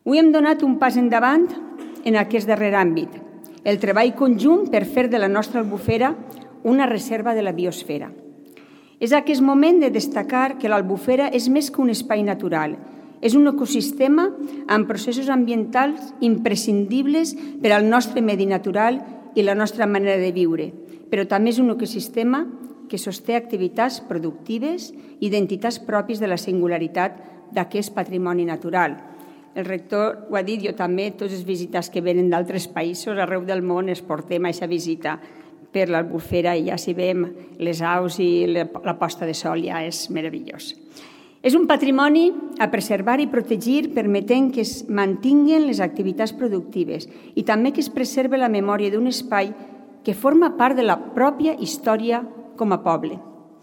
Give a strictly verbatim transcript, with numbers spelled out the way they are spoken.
Avui hem donat un pas endavant en aquest darrer àmbit, el treball conjunt per fer de la nostra Albufera una reserva de la biosfera. És aquest moment de destacar que l'Albufera és més que un espai natural, és un ecosistema amb processos ambientals imprescindibles per al nostre medi natural i la nostra manera de viure, però també és un ecosistema que sosté activitats productives i identitats pròpies de la singularitat d'aquest patrimoni natural. El rector ho ha dit, jo també, tots els visitants que venen d'altres països, arreu del món, es portem a aquesta visita per l'Albufera i ja si veiem les aus i la posta de sol ja és meravellós. És un patrimoni a preservar i protegir permetent que es mantinguin les activitats productives i també que es preserve la memòria d'un espai que forma part de la pròpia història com a poble.